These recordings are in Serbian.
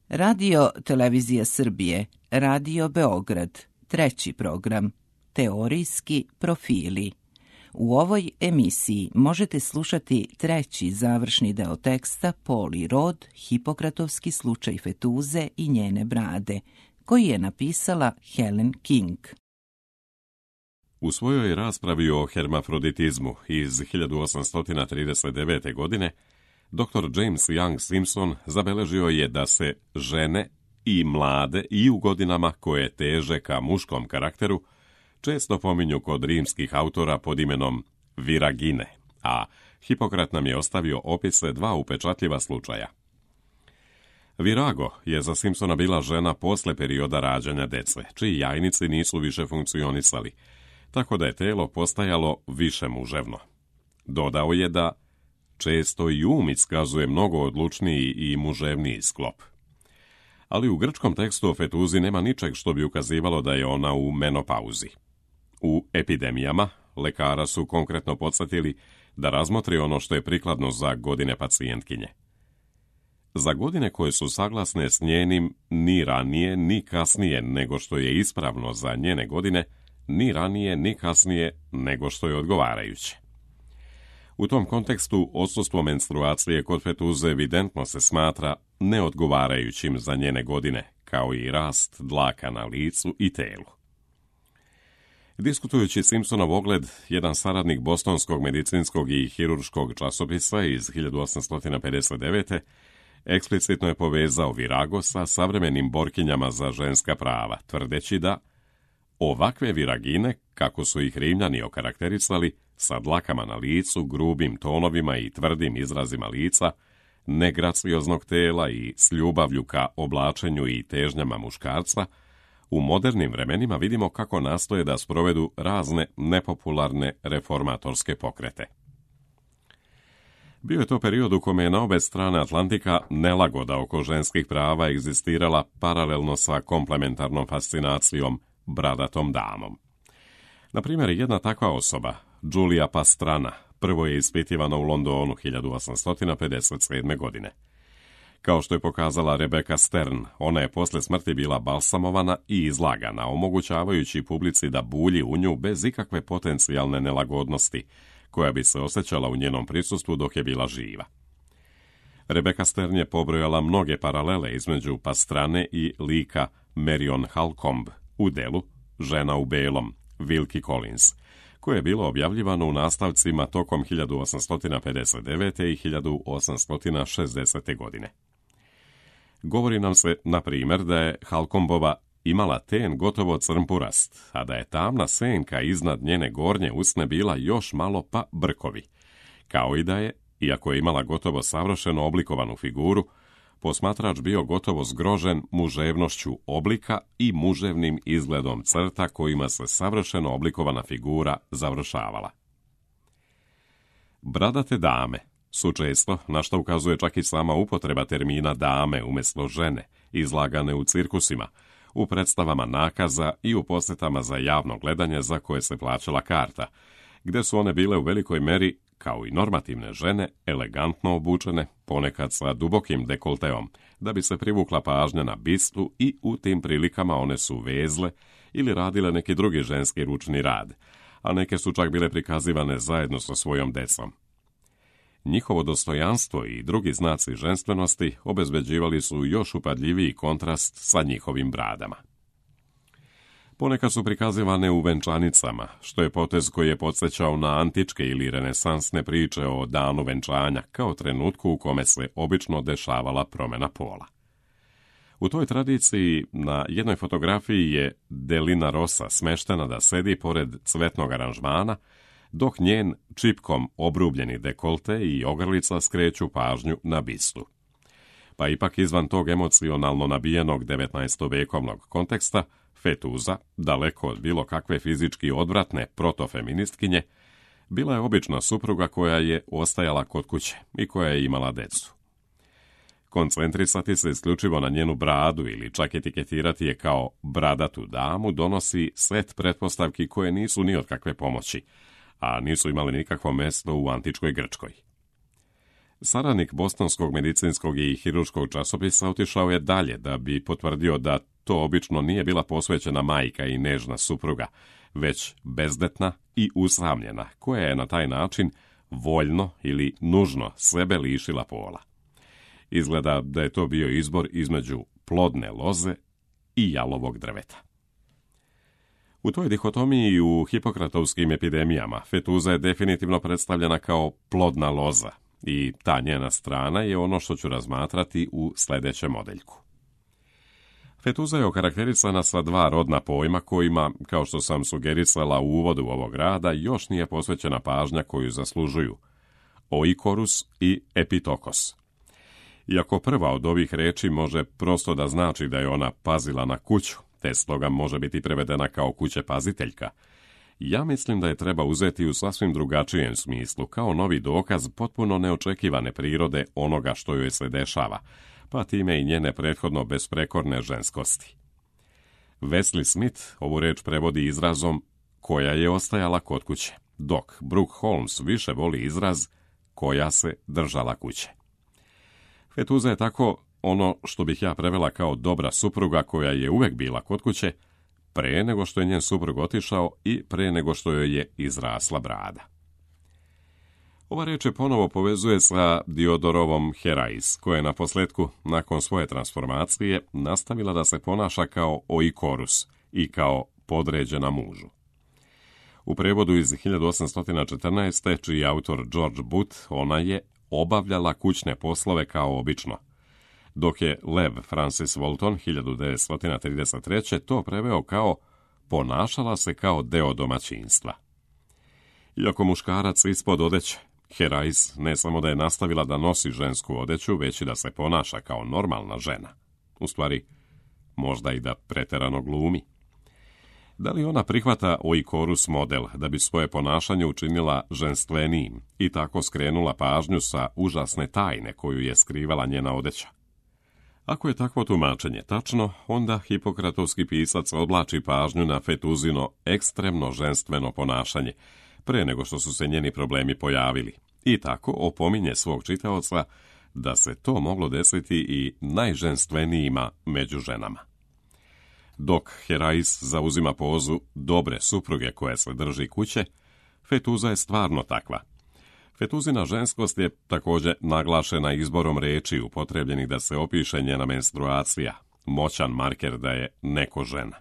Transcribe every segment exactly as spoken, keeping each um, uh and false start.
Radio Televizija Srbije, Radio Beograd, treći program, Teorijski profili. U ovoj emisiji možete slušati treći završni deo teksta Poli Rod, Hipokratovski slučaj fetuze i njene brade, koji je napisala Helen King. U svojoj raspravi o hermafroditizmu iz hiljadu osamsto trideset devete. godine doktor James Young Simpson zabeležio je da se žene i mlade i u godinama koje teže ka muškom karakteru često pominju kod rimskih autora pod imenom viragine, a Hipokrat nam je ostavio opise dva upečatljiva slučaja. Virago je za Simpsona bila žena posle perioda rađanja dece, čiji jajnici nisu više funkcionisali, tako da je telo postajalo više muževno. Dodao je da često i um iskazuje mnogo odlučniji i muževniji sklop. Ali u grčkom tekstu o fetuzi nema ničeg što bi ukazivalo da je ona u menopauzi. U epidemijama lekara su konkretno podsjetili da razmotri ono što je prikladno za godine pacijentkinje. Za godine koje su saglasne s njenim ni ranije ni kasnije nego što je ispravno za njene godine, ni ranije ni kasnije nego što je odgovarajuće. U tom kontekstu odsustvo menstruacije kod fetuze evidentno se smatra neodgovarajućim za njene godine, kao i rast dlaka na licu i telu. Diskutujući Simpsonov ogled, jedan saradnik bostonskog medicinskog i hirurškog časopisa iz hiljadu osamsto pedeset devete. eksplicitno je povezao Virago sa savremenim borkinjama za ženska prava, tvrdeći da ovakve viragine, kako su ih Rimljani okarakterisali, sa dlakama na licu, grubim tonovima i tvrdim izrazima lica, negracioznog tela i s ljubavlju ka oblačenju i težnjama muškarca, u modernim vremenima vidimo kako nastoje da sprovedu razne nepopularne reformatorske pokrete. Bio je to period u kome je na obe strane Atlantika nelagoda oko ženskih prava egzistirala paralelno sa komplementarnom fascinacijom bradatom damom. Na primjer, jedna takva osoba, Julia Pastrana, prvo je ispitivana u Londonu hiljadu osamsto pedeset sedme. godine. Kao što je pokazala Rebecca Stern, ona je posle smrti bila balsamovana i izlagana, omogućavajući publici da bulji u nju bez ikakve potencijalne nelagodnosti, koja bi se osjećala u njenom prisustvu dok je bila živa. Rebecca Stern je pobrojala mnoge paralele između Pastrane i lika Marion Halcombe u delu Žena u belom, Wilkie Collins, koje je bilo objavljivano u nastavcima tokom hiljadu osamsto pedeset devete. i hiljadu osamsto šezdesete. godine. Govori nam se, na primjer, da je Halcombova imala ten gotovo crnpurast, a da je tamna senka iznad njene gornje usne bila još malo pa brkovi, kao i da je, iako je imala gotovo savršeno oblikovanu figuru, posmatrač bio gotovo zgrožen muževnošću oblika i muževnim izgledom crta kojima se savršeno oblikovana figura završavala. Bradate dame su često, na što ukazuje čak i sama upotreba termina dame umjesto žene, izlagane u cirkusima, u predstavama nakaza i u posjetama za javno gledanje za koje se plaćala karta, gdje su one bile u velikoj meri, kao i normativne žene, elegantno obučene, ponekad sa dubokim dekolteom, da bi se privukla pažnja na bistu i u tim prilikama one su vezle ili radile neki drugi ženski ručni rad, a neke su čak bile prikazivane zajedno sa svojom decom. Njihovo dostojanstvo i drugi znaci ženstvenosti obezbeđivali su još upadljiviji kontrast sa njihovim bradama. Ponekad su prikazivane u venčanicama, što je potez koji je podsjećao na antičke ili renesansne priče o danu venčanja, kao trenutku u kome se obično dešavala promjena pola. U toj tradiciji na jednoj fotografiji je Delina Rosa smeštena da sedi pored cvetnog aranžmana, dok njen čipkom obrubljeni dekolte i ogrlica skreću pažnju na bistu. Pa ipak izvan tog emocionalno nabijenog devetnaestovekovnog konteksta, fetuza, daleko od bilo kakve fizički odvratne protofeministkinje, bila je obična supruga koja je ostajala kod kuće i koja je imala decu. Koncentrisati se isključivo na njenu bradu ili čak etiketirati je kao bradatu damu donosi set pretpostavki koje nisu ni od kakve pomoći, a nisu imali nikakvo mjesto u antičkoj Grčkoj. Saradnik bostonskog medicinskog i hirurškog časopisa otišao je dalje da bi potvrdio da to obično nije bila posvećena majka i nežna supruga, već bezdetna i usamljena, koja je na taj način voljno ili nužno sebe lišila pola. Izgleda da je to bio izbor između plodne loze i jalovog drveta. U toj dihotomiji u hipokratovskim epidemijama fetuza je definitivno predstavljena kao plodna loza i ta njena strana je ono što ću razmatrati u sljedećem modeljku. Fetuza je okarakterisana sa dva rodna pojma kojima, kao što sam sugerisala u uvodu ovog rada, još nije posvećena pažnja koju zaslužuju: oikorus i epitokos. Iako prva od ovih reči može prosto da znači da je ona pazila na kuću, te stoga može biti prevedena kao kućepaziteljka, ja mislim da je treba uzeti u sasvim drugačijem smislu, kao novi dokaz potpuno neočekivane prirode onoga što joj se dešava, pa time i njene prethodno besprekorne ženskosti. Wesley Smith ovu reč prevodi izrazom koja je ostajala kod kuće, dok Brooke Holmes više voli izraz koja se držala kuće. Fetuza je tako ono što bih ja prevela kao dobra supruga koja je uvek bila kod kuće, pre nego što je njen suprug otišao i pre nego što joj je izrasla brada. Ova reč je ponovo povezuje sa Diodorovom Herais, koja je na posljedku, nakon svoje transformacije, nastavila da se ponaša kao oikorus i kao podređena mužu. U prevodu iz hiljadu osamsto četrnaeste, čiji je autor George Booth, ona je obavljala kućne poslove kao obično, dok je Lev Francis Walton hiljadu devetsto trideset treće to preveo kao ponašala se kao deo domaćinstva. Iako muškarac ispod odeće, Herais ne samo da je nastavila da nosi žensku odeću, već i da se ponaša kao normalna žena. U stvari, možda i da preterano glumi. Da li ona prihvata oikorus model da bi svoje ponašanje učinila ženstvenijim i tako skrenula pažnju sa užasne tajne koju je skrivala njena odeća? Ako je takvo tumačenje tačno, onda hipokratovski pisac odvlači pažnju na fetuzino ekstremno ženstveno ponašanje, pre nego što su se njeni problemi pojavili, i tako opominje svog čitaoca da se to moglo desiti i najženstvenijima među ženama. Dok Herais zauzima pozu dobre supruge koje se drži kuće, fetuza je stvarno takva. Fetuzina ženskost je također naglašena izborom reči upotrebljenih da se opiše njena menstruacija, moćan marker da je neko žena.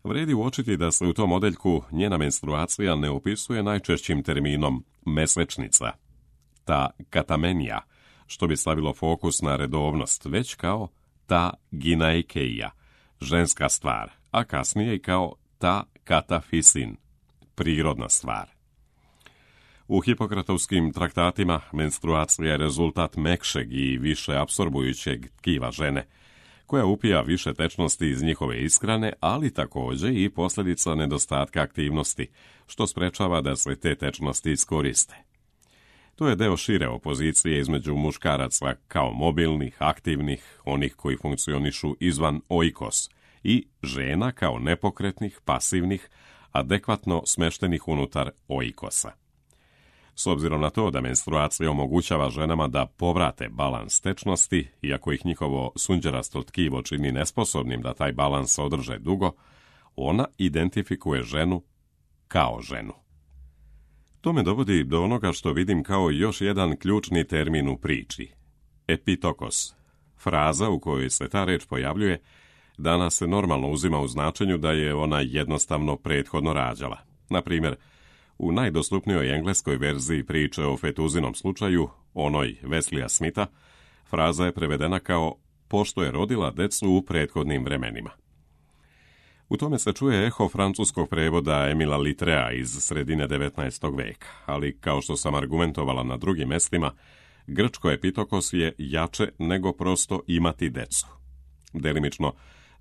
Vredi uočiti da se u tom modeljku njena menstruacija ne opisuje najčešćim terminom mesečnica, ta katamenija, što bi stavilo fokus na redovnost, već kao ta ginaikeija, ženska stvar, a kasnije i kao ta katafisin, prirodna stvar. U hipokratovskim traktatima menstruacija je rezultat mekšeg i više apsorbujućeg tkiva žene, koja upija više tečnosti iz njihove ishrane, ali također i posljedica nedostatka aktivnosti, što sprečava da se te tečnosti iskoriste. To je deo šire opozicije između muškaraca kao mobilnih, aktivnih, onih koji funkcionišu izvan oikos, i žena kao nepokretnih, pasivnih, adekvatno smeštenih unutar oikosa. S obzirom na to da menstruacija omogućava ženama da povrate balans tečnosti, iako ih njihovo sunđerasto tkivo čini nesposobnim da taj balans održe dugo, ona identifikuje ženu kao ženu. To me dovodi do onoga što vidim kao još jedan ključni termin u priči. Epitokos. Fraza u kojoj se ta reč pojavljuje danas se normalno uzima u značenju da je ona jednostavno prethodno rađala. Na primjer, u najdostupnijoj engleskoj verziji priče o fetuzinom slučaju, onoj Wesleya Smitha, fraza je prevedena kao pošto je rodila decu u prethodnim vremenima. U tome se čuje eho francuskog prevoda Emila Litrea iz sredine devetnaestog veka, ali kao što sam argumentovala na drugim mestima, grčko epitokos je jače nego prosto imati decu. Delimično,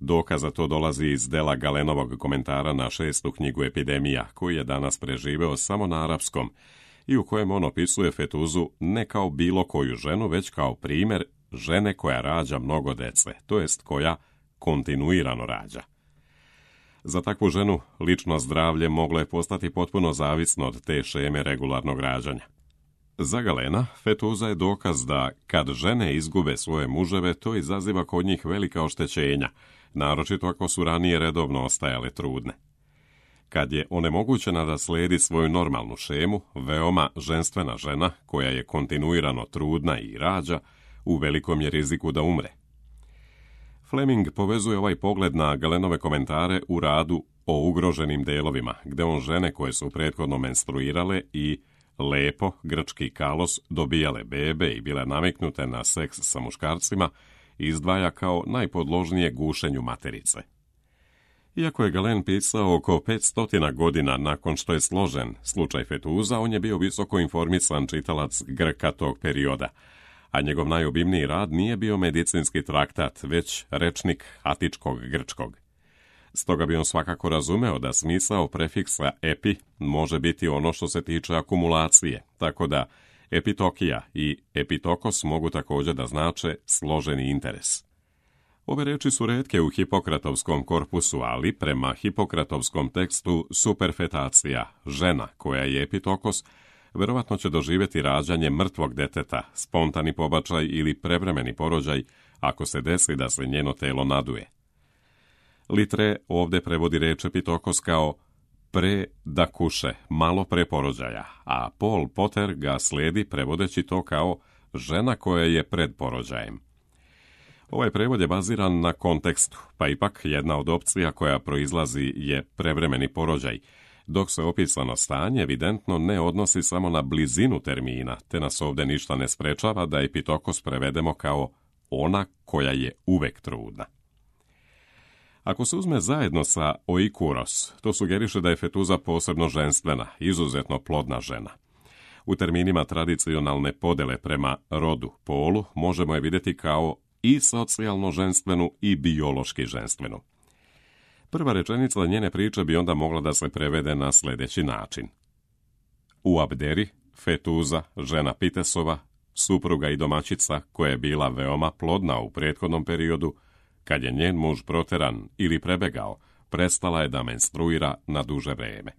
dokaz za to dolazi iz dela Galenovog komentara na šestu knjigu Epidemija, koji je danas preživeo samo na arapskom i u kojem on opisuje fetuzu ne kao bilo koju ženu, već kao primjer žene koja rađa mnogo dece, to jest koja kontinuirano rađa. Za takvu ženu lično zdravlje moglo je postati potpuno zavisno od te šeme regularnog rađanja. Za Galena, fetuza je dokaz da kad žene izgube svoje muževe, to izaziva kod njih velika oštećenja, naročito ako su ranije redovno ostajale trudne. Kad je onemogućena da slijedi svoju normalnu šemu, veoma ženstvena žena, koja je kontinuirano trudna i rađa, u velikom je riziku da umre. Fleming povezuje ovaj pogled na Galenove komentare u radu o ugroženim delovima, gde on žene koje su prethodno menstruirale i lepo, grčki kalos, dobijale bebe i bile naviknute na seks sa muškarcima, izdvaja kao najpodložnije gušenju materice. Iako je Galen pisao oko petsto godina nakon što je složen slučaj fetuza, on je bio visoko informisan čitalac Grka tog perioda, a njegov najobimniji rad nije bio medicinski traktat, već rečnik atičkog grčkog. Stoga bi on svakako razumeo da smisao prefiksa epi može biti ono što se tiče akumulacije, tako da epitokija i epitokos mogu također da znače složeni interes. Ove reči su retke u hipokratovskom korpusu, ali prema hipokratovskom tekstu superfetacija, žena koja je epitokos, verovatno će doživjeti rađanje mrtvog deteta, spontani pobačaj ili prevremeni porođaj, ako se desi da se njeno telo naduje. Litre ovdje prevodi reč epitokos kao pre da kuše, malo pre porođaja, a Paul Potter ga slijedi prevodeći to kao žena koja je pred porođajem. Ovaj prevod je baziran na kontekstu, pa ipak jedna od opcija koja proizlazi je prevremeni porođaj, dok se opisano stanje evidentno ne odnosi samo na blizinu termina, te nas ovdje ništa ne sprečava da epitokos prevedemo kao ona koja je uvek trudna. Ako se uzme zajedno sa oikuros, to sugeriše da je fetuza posebno ženstvena, izuzetno plodna žena. U terminima tradicionalne podele prema rodu, polu, možemo je vidjeti kao i socijalno ženstvenu i biološki ženstvenu. Prva rečenica njene priče bi onda mogla da se prevede na sljedeći način. U Abderi, fetuza, žena Pitesova, supruga i domaćica koja je bila veoma plodna u prethodnom periodu, kad je njen muž proteran ili prebegao, prestala je da menstruira na duže vreme.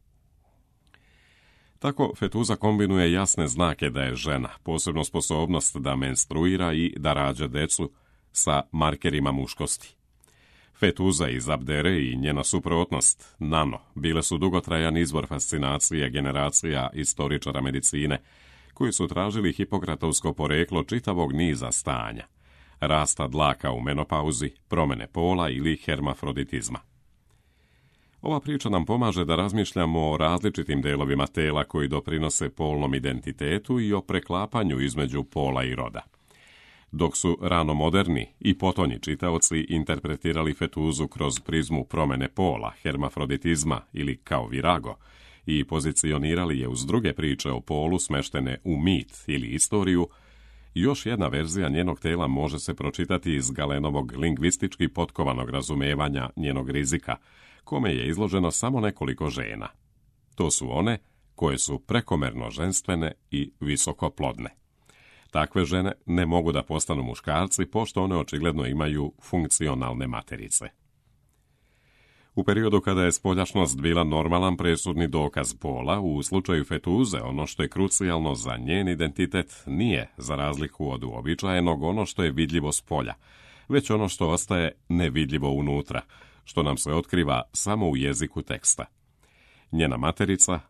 Tako fetuza kombinuje jasne znake da je žena, posebno sposobnost da menstruira i da rađa decu, sa markerima muškosti. Fetuza iz Abdere i njena suprotnost, nano, bile su dugotrajan izvor fascinacije generacija istoričara medicine, koji su tražili hipokratovsko poreklo čitavog niza stanja, rasta dlaka u menopauzi, promjene pola ili hermafroditizma. Ova priča nam pomaže da razmišljamo o različitim delovima tela koji doprinose polnom identitetu i o preklapanju između pola i roda. Dok su rano moderni i potonji čitaoci interpretirali fetuzu kroz prizmu promjene pola, hermafroditizma ili kao virago i pozicionirali je uz druge priče o polu smeštene u mit ili istoriju, još jedna verzija njenog tela može se pročitati iz Galenovog lingvistički potkovanog razumevanja njenog rizika, kome je izloženo samo nekoliko žena. To su one koje su prekomerno ženstvene i visokoplodne. Takve žene ne mogu da postanu muškarci, pošto one očigledno imaju funkcionalne materice. U periodu kada je spoljašnost bila normalan presudni dokaz pola, u slučaju fetuze ono što je krucijalno za njen identitet nije, za razliku od uobičajenog, ono što je vidljivo s polja, već ono što ostaje nevidljivo unutra, što nam se otkriva samo u jeziku teksta. Njena materica,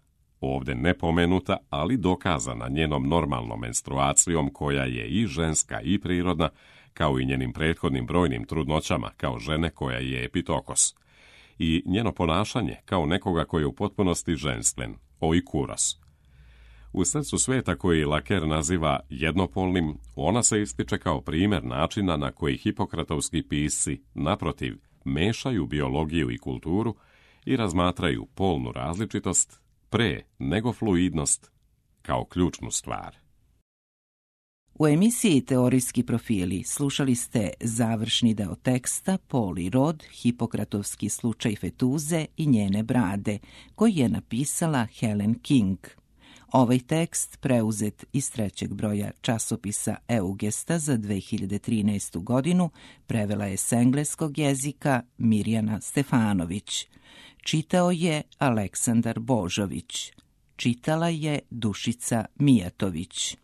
ovdje nepomenuta, ali dokazana njenom normalnom menstruacijom koja je i ženska i prirodna, kao i njenim prethodnim brojnim trudnoćama kao žene koja je epitokos, i njeno ponašanje kao nekoga koji je u potpunosti ženstven, oikuros. U srcu sveta koji Laker naziva jednopolnim, ona se ističe kao primjer načina na koji hipokratovski pisci, naprotiv, mešaju biologiju i kulturu i razmatraju polnu različitost pre nego fluidnost kao ključnu stvar. U emisiji Teorijski profili slušali ste završni deo teksta Pol i rod, hipokratovski slučaj fetuze i njene brade, koji je napisala Helen King. Ovaj tekst, preuzet iz trećeg broja časopisa Eugesta za dve hiljade trinaestu godinu, prevela je s engleskog jezika Mirjana Stefanović. Čitao je Aleksandar Božović. Čitala je Dušica Mijatović.